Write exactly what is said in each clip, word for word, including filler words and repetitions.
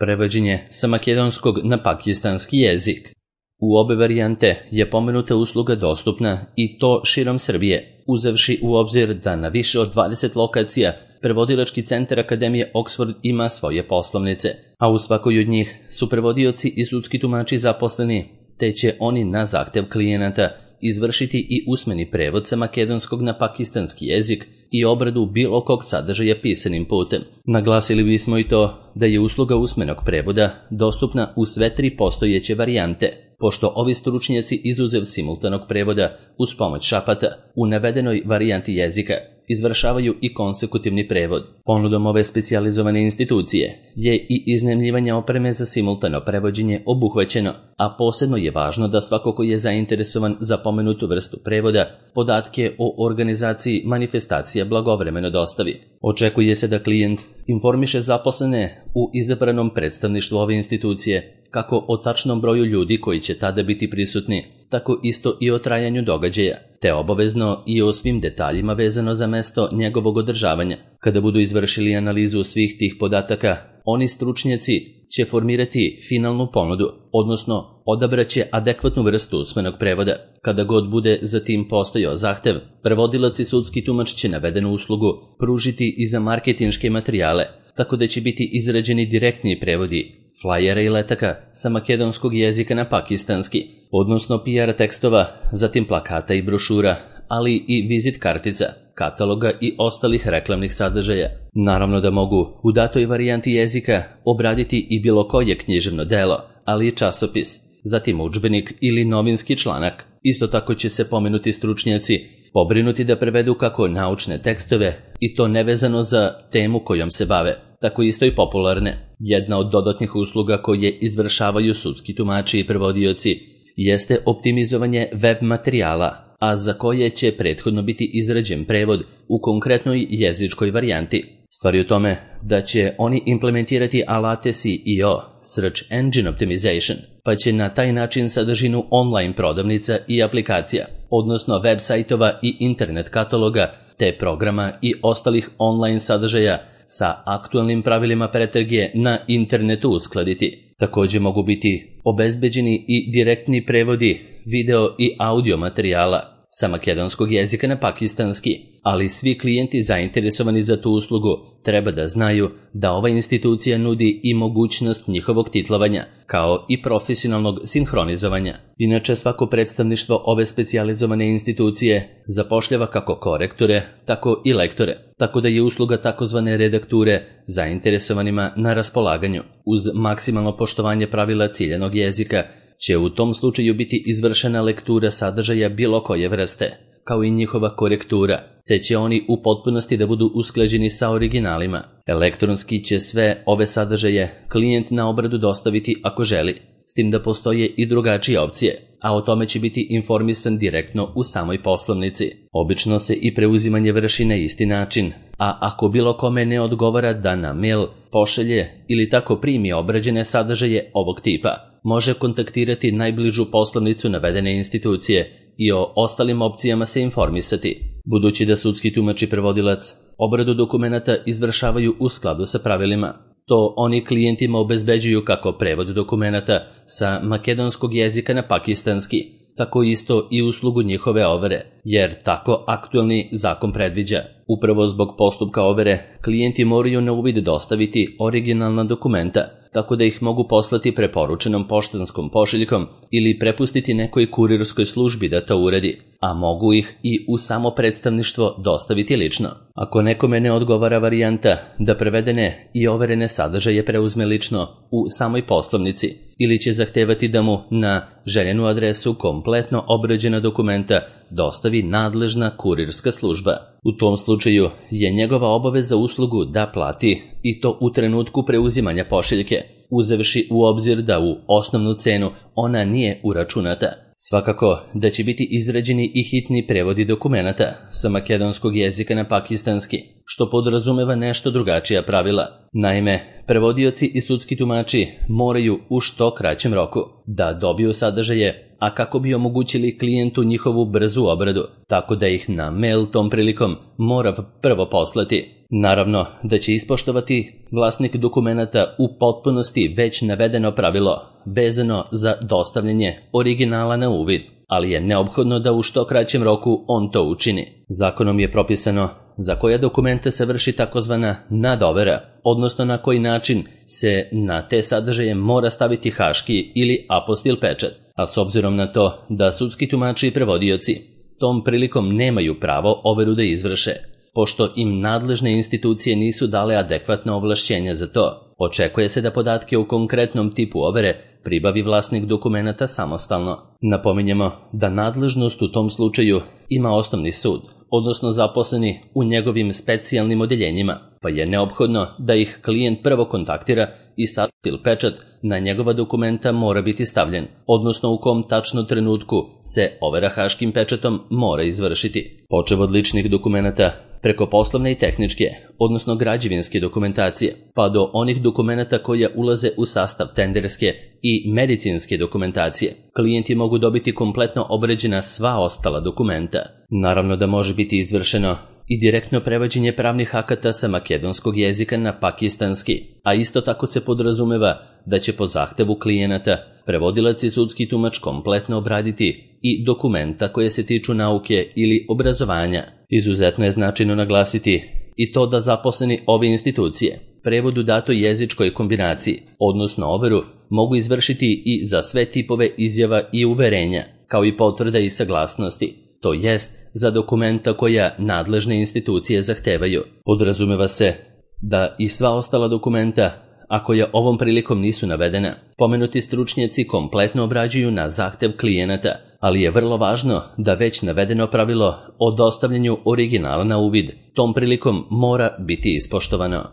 prevođenje sa makedonskog na pakistanski jezik. U obe varijante je pomenuta usluga dostupna i to širom Srbije, uzevši u obzir da na više od dvadeset lokacija prevodilački centar Akademije Oxford ima svoje poslovnice, a u svakoj od njih su prevodioci i sudski tumači zaposleni, te će oni na zahtev klijenata izvršiti i usmeni prevod sa makedonskog na pakistanski jezik i obradu bilo kog sadržaja pisanim putem. Naglasili bismo i to da je usluga usmenog prevoda dostupna u sve tri postojeće varijante, pošto ovi stručnjaci izuzev simultanog prevoda uz pomoć šapata u navedenoj varijanti jezika izvršavaju i konsekutivni prevod. Ponudom ove specijalizovane institucije je i iznajmljivanje opreme za simultano prevođenje obuhvaćeno, a posebno je važno da svako ko je zainteresovan za pomenutu vrstu prevoda podatke o organizaciji manifestacija blagovremeno dostavi. Očekuje se da klijent informiše zaposlene u izabranom predstavništvu ove institucije kako o tačnom broju ljudi koji će tada biti prisutni, tako isto i o trajanju događaja, te obavezno i o svim detaljima vezano za mesto njegovog održavanja. Kada budu izvršili analizu svih tih podataka, oni stručnjaci će formirati finalnu ponudu, odnosno odabraće adekvatnu vrstu usmenog prevoda. Kada god bude za tim postojao zahtev, prevodilac i sudski tumač će navedenu uslugu pružiti i za marketinške materijale, tako da će biti izrađeni direktni prevodi flajera i letaka sa makedonskog jezika na pakistanski, odnosno P R tekstova, zatim plakata i brošura, ali i vizit kartica, kataloga i ostalih reklamnih sadržaja. Naravno da mogu u datoj varijanti jezika obraditi i bilo koje književno delo, ali i časopis, zatim udžbenik ili novinski članak. Isto tako će se pomenuti stručnjaci pobrinuti da prevedu kako naučne tekstove, i to nevezano za temu kojom se bave, tako isto i popularne. Jedna od dodatnih usluga koje izvršavaju sudski tumači i prevodioci jeste optimizovanje web materijala, a za koje će prethodno biti izrađen prevod u konkretnoj jezičkoj varijanti. Stvar je u tome da će oni implementirati alate S E O, Search Engine Optimization, pa će na taj način sadržinu online prodavnica i aplikacija, odnosno web sajtova i internet kataloga, te programa i ostalih online sadržaja sa aktualnim pravilima pretrage na internetu uskladiti. Također mogu biti obezbeđeni i direktni prevodi video i audio materijala sa makedonskog jezika na pakistanski, ali svi klijenti zainteresovani za tu uslugu treba da znaju da ova institucija nudi i mogućnost njihovog titlovanja, kao i profesionalnog sinhronizovanja. Inače, svako predstavništvo ove specijalizovane institucije zapošljava kako korektore, tako i lektore, tako da je usluga takozvane redakture zainteresovanima na raspolaganju. Uz maksimalno poštovanje pravila ciljanog jezika će u tom slučaju biti izvršena lektura sadržaja bilo koje vrste, kao i njihova korektura, te će oni u potpunosti da budu usklađeni sa originalima. Elektronski će sve ove sadržaje klijent na obradu dostaviti ako želi, s tim da postoje i drugačije opcije, a o tome će biti informisan direktno u samoj poslovnici. Obično se i preuzimanje vrši na isti način, a ako bilo kome ne odgovara da na mail pošalje ili tako primi obrađene sadržaje ovog tipa, može kontaktirati najbližu poslovnicu navedene institucije i o ostalim opcijama se informisati. Budući da sudski tumač i prevodilac obradu dokumenata izvršavaju u skladu sa pravilima, to oni klijentima obezbeđuju kako prevod dokumenata sa makedonskog jezika na pakistanski, tako isto i uslugu njihove overe, jer tako aktualni zakon predviđa. Upravo zbog postupka overe, klijenti moraju na uvid dostaviti originalna dokumenta, tako da ih mogu poslati preporučenom poštanskom pošiljkom ili prepustiti nekoj kurirskoj službi da to uradi, a mogu ih i u samo predstavništvo dostaviti lično. Ako nekome ne odgovara varijanta da prevedene i overene sadržaje preuzme lično u samoj poslovnici, ili će zahtevati da mu na željenu adresu kompletno obrađena dokumenta dostavi nadležna kurirska služba. U tom slučaju je njegova obaveza uslugu da plati, i to u trenutku preuzimanja pošiljke, uzevši u obzir da u osnovnu cenu ona nije uračunata. Svakako da će biti izrađeni i hitni prevodi dokumenata sa makedonskog jezika na pakistanski, što podrazumeva nešto drugačija pravila. Naime, prevodioci i sudski tumači moraju u što kraćem roku da dobiju sadržaje, a kako bi omogućili klijentu njihovu brzu obradu, tako da ih na mail tom prilikom mora prvo poslati. Naravno da će ispoštovati vlasnik dokumenata u potpunosti već navedeno pravilo vezano za dostavljanje originala na uvid, ali je neophodno da u što kraćem roku on to učini. Zakonom je propisano za koja dokumenta se vrši takozvana nadovera, odnosno na koji način se na te sadržaje mora staviti haški ili apostil pečat, a s obzirom na to da sudski tumači i prevodioci tom prilikom nemaju pravo overu da izvrše, pošto im nadležne institucije nisu dale adekvatna ovlašćenja za to, očekuje se da podatke u konkretnom tipu overe pribavi vlasnik dokumenata samostalno. Napominjemo da nadležnost u tom slučaju ima osnovni sud, odnosno zaposleni u njegovim specijalnim odeljenjima, pa je neophodno da ih klijent prvo kontaktira i apostil pečat na njegova dokumenta mora biti stavljen, odnosno u kom tačno trenutku se overa haškim pečatom mora izvršiti. Počev od ličnih dokumenata, preko poslovne i tehničke, odnosno građevinske dokumentacije, pa do onih dokumenata koja ulaze u sastav tenderske i medicinske dokumentacije, klijenti mogu dobiti kompletno obrađena sva ostala dokumenta. Naravno da može biti izvršeno i direktno prevođenje pravnih akata sa makedonskog jezika na pakistanski, a isto tako se podrazumeva da će po zahtevu klijenata prevodilac i sudski tumač kompletno obraditi i dokumenta koje se tiču nauke ili obrazovanja. Izuzetno je značajno naglasiti i to da zaposleni ove institucije prevod u datoj jezičkoj kombinaciji, odnosno overu, mogu izvršiti i za sve tipove izjava i uverenja, kao i potvrda i saglasnosti, to jest za dokumenta koja nadležne institucije zahtevaju. Podrazumeva se da i sva ostala dokumenta, a koja ovom prilikom nisu navedena, pomenuti stručnjaci kompletno obrađuju na zahtev klijenata, ali je vrlo važno da već navedeno pravilo o dostavljanju originala na uvid tom prilikom mora biti ispoštovano.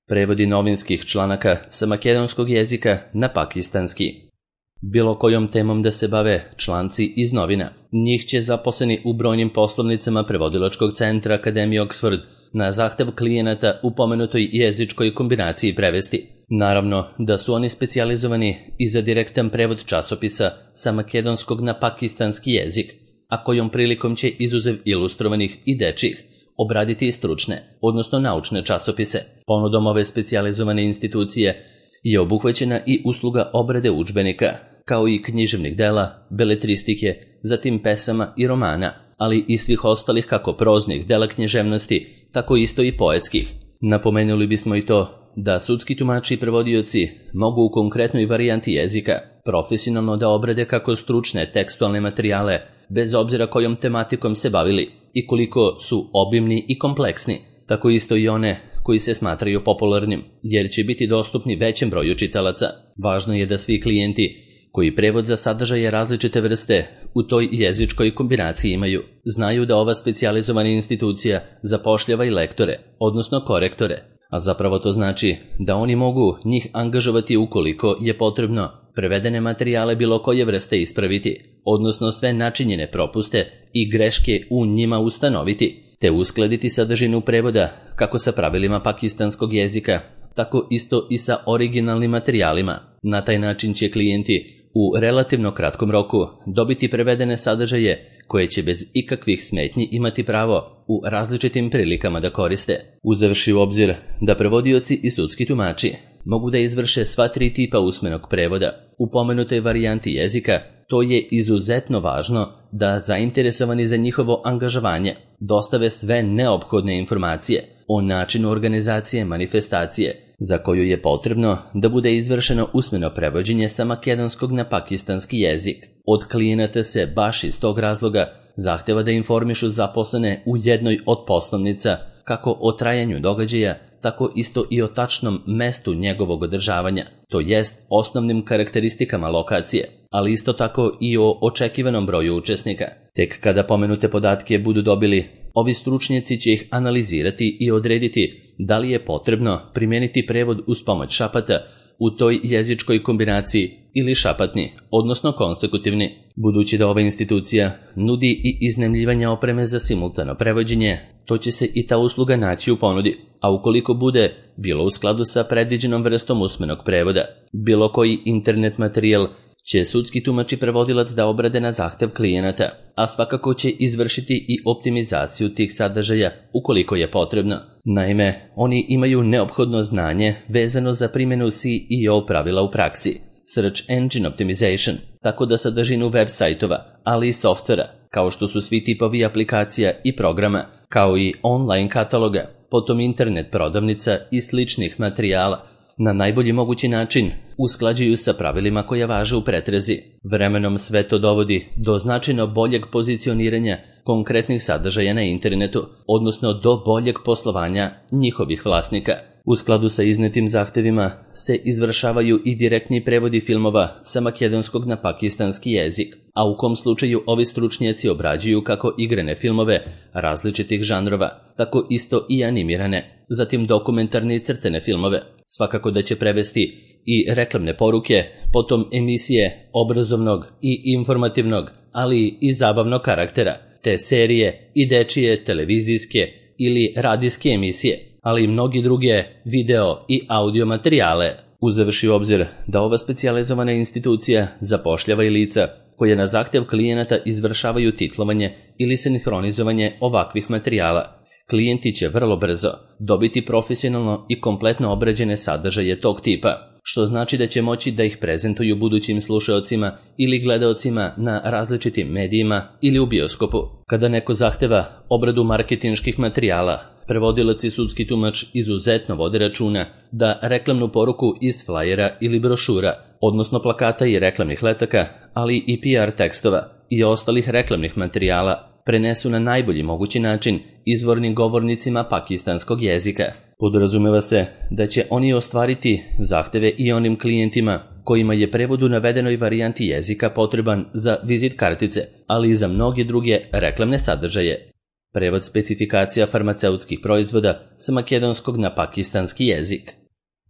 Prevodi novinskih članaka sa makedonskog jezika na pakistanski. Bilo kojom temom da se bave članci iz novina, njih će zaposleni u brojnim poslovnicama prevodilačkog centra Akademije Oxford na zahtev klijenata u pomenutoj jezičkoj kombinaciji prevesti. Naravno da su oni specijalizovani i za direktan prevod časopisa sa makedonskog na pakistanski jezik, a kojom prilikom će izuzev ilustrovanih i dečjih obraditi i stručne, odnosno naučne časopise. Ponudom ove specijalizovane institucije je obuhvaćena i usluga obrade udžbenika, kao i književnih dela, beletristike, zatim pesama i romana, ali i svih ostalih kako proznih dela književnosti, tako isto i poetskih. Napomenuli bismo i to da sudski tumači i prevodioci mogu u konkretnoj varijanti jezika profesionalno da obrade kako stručne tekstualne materijale, bez obzira kojom tematikom se bavili i koliko su obimni i kompleksni, tako isto i one koji se smatraju popularnim, jer će biti dostupni većem broju čitalaca. Važno je da svi klijenti koji prevod za sadržaje različite vrste u toj jezičkoj kombinaciji imaju, znaju da ova specijalizovana institucija zapošljava i lektore, odnosno korektore, a zapravo to znači da oni mogu njih angažovati ukoliko je potrebno prevedene materijale bilo koje vrste ispraviti, odnosno sve načinjene propuste i greške u njima ustanoviti, te uskladiti sadržinu prevoda kako sa pravilima pakistanskog jezika, tako isto i sa originalnim materijalima. Na taj način će klijenti u relativno kratkom roku dobiti prevedene sadržaje koje će bez ikakvih smetnji imati pravo u različitim prilikama da koriste. Uzevši u obzir da prevodioci i sudski tumači mogu da izvrše sva tri tipa usmenog prevoda u pomenutoj varijanti jezika, to je izuzetno važno da zainteresovani za njihovo angažovanje dostave sve neophodne informacije o načinu organizacije manifestacije za koju je potrebno da bude izvršeno usmeno prevođenje sa makedonskog na pakistanski jezik. Od klijenata se baš iz tog razloga zahteva da informišu zaposlene u jednoj od poslovnica kako o trajanju događaja, tako isto i o tačnom mestu njegovog održavanja, to jest osnovnim karakteristikama lokacije, ali isto tako i o očekivanom broju učesnika. Tek kada pomenute podatke budu dobili, ovi stručnjaci će ih analizirati i odrediti da li je potrebno primijeniti prevod uz pomoć šapata u toj jezičkoj kombinaciji ili šapatni, odnosno konsekutivni. Budući da ova institucija nudi i iznajmljivanje opreme za simultano prevođenje, to će se i ta usluga naći u ponudi, a ukoliko bude bilo u skladu sa predviđenom vrstom usmenog prevoda, bilo koji internet materijal će sudski tumač i prevodilac da obrade na zahtev klijenata, a svakako će izvršiti i optimizaciju tih sadržaja ukoliko je potrebno. Naime, oni imaju neophodno znanje vezano za primjenu C E O pravila u praksi, Search Engine Optimization, tako da sadržinu web sajtova, ali i softvera, kao što su svi tipovi aplikacija i programa, kao i online kataloga, potom internet prodavnica i sličnih materijala, na najbolji mogući način usklađuju sa pravilima koja važe u pretrazi. Vremenom sve to dovodi do značajno boljeg pozicioniranja konkretnih sadržaja na internetu, odnosno do boljeg poslovanja njihovih vlasnika. U skladu sa iznetim zahtevima se izvršavaju i direktni prevodi filmova sa makedonskog na pakistanski jezik, a u kom slučaju ovi stručnjaci obrađuju kako igrane filmove različitih žanrova, tako isto i animirane, zatim dokumentarne i crtene filmove. Svakako da će prevesti i reklamne poruke, potom emisije obrazovnog i informativnog, ali i zabavnog karaktera, te serije i dečije, televizijske ili radijske emisije, ali i mnogi druge video i audio materijale, uzevši u obzir da ova specijalizovana institucija zapošljava i lica koje na zahtev klijenata izvršavaju titlovanje ili sinhronizovanje ovakvih materijala. Klijenti će vrlo brzo dobiti profesionalno i kompletno obrađene sadržaje tog tipa, što znači da će moći da ih prezentuju budućim slušaocima ili gledaocima na različitim medijima ili u bioskopu. Kada neko zahteva obradu marketinških materijala, prevodilac i sudski tumač izuzetno vode računa da reklamnu poruku iz flajera ili brošura, odnosno plakata i reklamnih letaka, ali i P R tekstova i ostalih reklamnih materijala, prenesu na najbolji mogući način izvornim govornicima pakistanskog jezika. Podrazumeva se da će oni ostvariti zahteve i onim klijentima kojima je prevod u navedenoj varijanti jezika potreban za vizit kartice, ali i za mnoge druge reklamne sadržaje. Prevod specifikacija farmaceutskih proizvoda sa makedonskog na pakistanski jezik.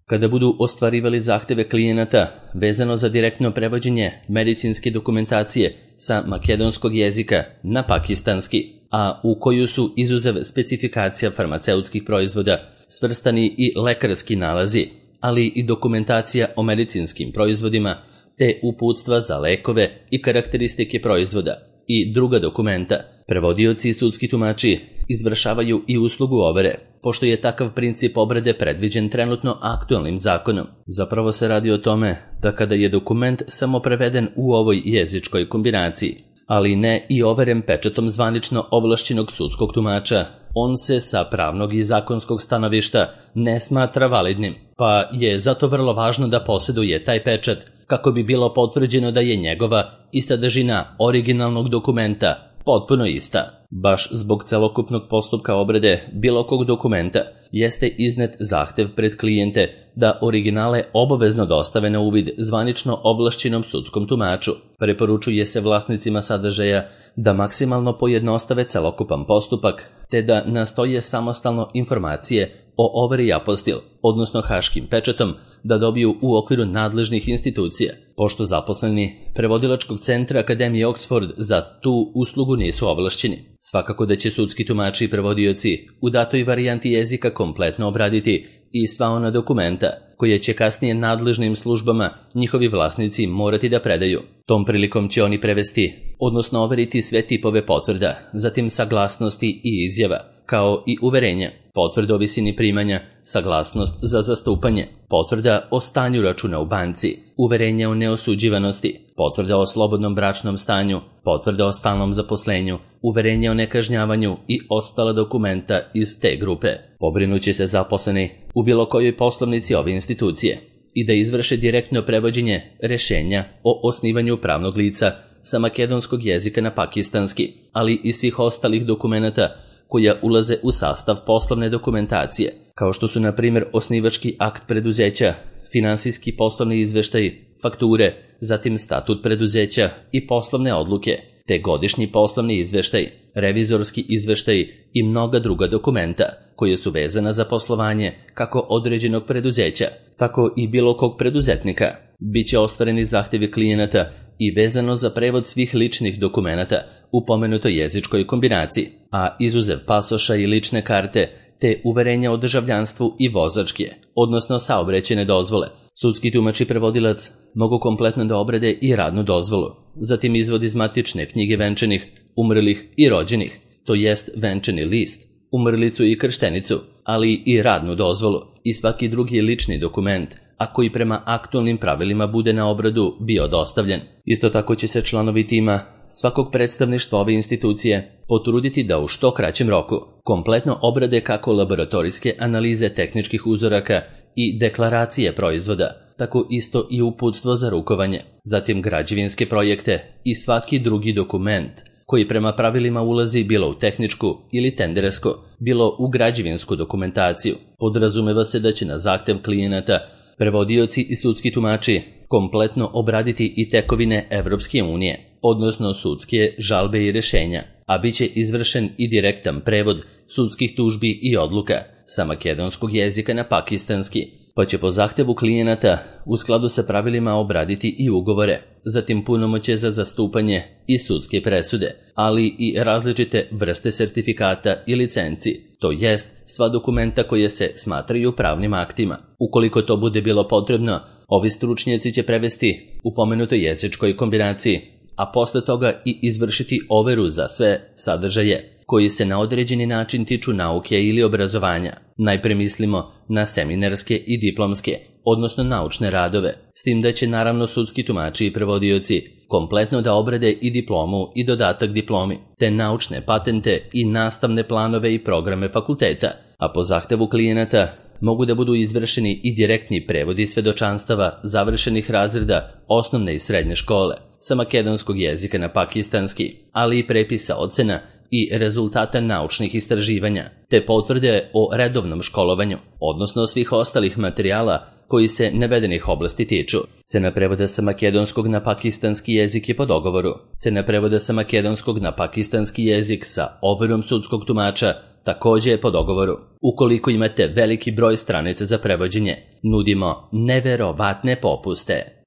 Kada budu ostvarivali zahteve klijenata vezano za direktno prevođenje medicinske dokumentacije sa makedonskog jezika na pakistanski, a u koju su izuzev specifikacija farmaceutskih proizvoda svrstani i lekarski nalazi, ali i dokumentacija o medicinskim proizvodima, te uputstva za lekove i karakteristike proizvoda i druga dokumenta, prevodioci i sudski tumači izvršavaju i uslugu overe, pošto je takav princip obrade predviđen trenutno aktualnim zakonom. Zapravo se radi o tome da kada je dokument samo preveden u ovoj jezičkoj kombinaciji, ali ne i overen pečatom zvanično ovlašćenog sudskog tumača, on se sa pravnog i zakonskog stanovišta ne smatra validnim, pa je zato vrlo važno da posjeduje taj pečat kako bi bilo potvrđeno da je njegova i sadržina originalnog dokumenta potpuno ista. Baš zbog celokupnog postupka obrade bilo kog dokumenta jeste iznet zahtev pred klijente da originale obavezno dostave na uvid zvanično ovlašćenom sudskom tumaču. Preporučuje se vlasnicima sadržaja da maksimalno pojednostave celokupan postupak, te da nastoje samostalno informacije o overi apostil, odnosno haškim pečatom, da dobiju u okviru nadležnih institucija, pošto zaposleni prevodilačkog centra Akademije Oxford za tu uslugu nisu ovlašćeni. Svakako da će sudski tumači i prevodioci u datoj varijanti jezika kompletno obraditi i sva ona dokumenta koje će kasnije nadležnim službama njihovi vlasnici morati da predaju. Tom prilikom će oni prevesti, odnosno overiti sve tipove potvrda, zatim saglasnosti i izjava, kao i uverenja, potvrda o visini primanja, saglasnost za zastupanje, potvrda o stanju računa u banci, uverenja o neosuđivanosti, potvrda o slobodnom bračnom stanju, potvrda o stalnom zaposlenju, uverenja o nekažnjavanju i ostala dokumenta iz te grupe. Pobrinuće se zaposleni u bilo kojoj poslovnici ove institucije i da izvrše direktno prevođenje rešenja o osnivanju pravnog lica sa makedonskog jezika na pakistanski, ali i svih ostalih dokumenata koja ulaze u sastav poslovne dokumentacije, kao što su na primjer osnivački akt preduzeća, finansijski poslovni izveštaj, fakture, zatim statut preduzeća i poslovne odluke, te godišnji poslovni izveštaj, revizorski izveštaj i mnoga druga dokumenta koje su vezana za poslovanje kako određenog preduzeća, tako i bilo kog preduzetnika. Biće ostvareni zahtevi klijenata i vezano za prevod svih ličnih dokumenata u pomenutoj jezičkoj kombinaciji, a izuzev pasoša i lične karte te uverenja o državljanstvu i vozačke, odnosno saobraćajne dozvole, Sudski tumač i prevodilac mogu kompletno da obrade i radnu dozvolu, zatim izvod iz matične knjige venčanih, umrlih i rođenih, to jest venčani list, umrlicu i krštenicu, ali i radnu dozvolu i svaki drugi lični dokument, a koji prema aktualnim pravilima bude na obradu bio dostavljen. Isto tako će se članovi tima svakog predstavništva ove institucije potruditi da u što kraćem roku kompletno obrade kako laboratorijske analize tehničkih uzoraka i deklaracije proizvoda, tako isto i uputstvo za rukovanje, zatim građevinske projekte i svaki drugi dokument koji prema pravilima ulazi bilo u tehničku ili tenderesko, bilo u građevinsku dokumentaciju. Podrazumeva se da će na zahtev klijenata prevodioci i sudski tumači kompletno obraditi i tekovine Evropske unije, odnosno sudske žalbe i rešenja, a bit će izvršen i direktan prevod sudskih tužbi i odluka sa makedonskog jezika na pakistanski, pa će po zahtevu klijenata u skladu sa pravilima obraditi i ugovore, zatim punomoćje za zastupanje i sudske presude, ali i različite vrste sertifikata i licenci, to jest sva dokumenta koje se smatraju pravnim aktima. Ukoliko to bude bilo potrebno, ovi stručnjaci će prevesti u pomenutoj jezičkoj kombinaciji, a posle toga i izvršiti overu za sve sadržaje koji se na određeni način tiču nauke ili obrazovanja. Najpre mislimo na seminarske i diplomske, odnosno naučne radove, s tim da će naravno sudski tumači i prevodioci kompletno da obrade i diplomu i dodatak diplomi, te naučne patente i nastavne planove i programe fakulteta, a po zahtevu klijenata mogu da budu izvršeni i direktni prevodi svedočanstava završenih razreda osnovne i srednje škole sa makedonskog jezika na pakistanski, ali i prepisa ocena i rezultata naučnih istraživanja, te potvrde o redovnom školovanju, odnosno svih ostalih materijala koji se navedenih oblasti tiču. Cena prevoda sa makedonskog na pakistanski jezik je po dogovoru. Cena prevoda sa makedonskog na pakistanski jezik sa overom sudskog tumača također je po dogovoru. Ukoliko imate veliki broj stranica za prevođenje, nudimo neverovatne popuste.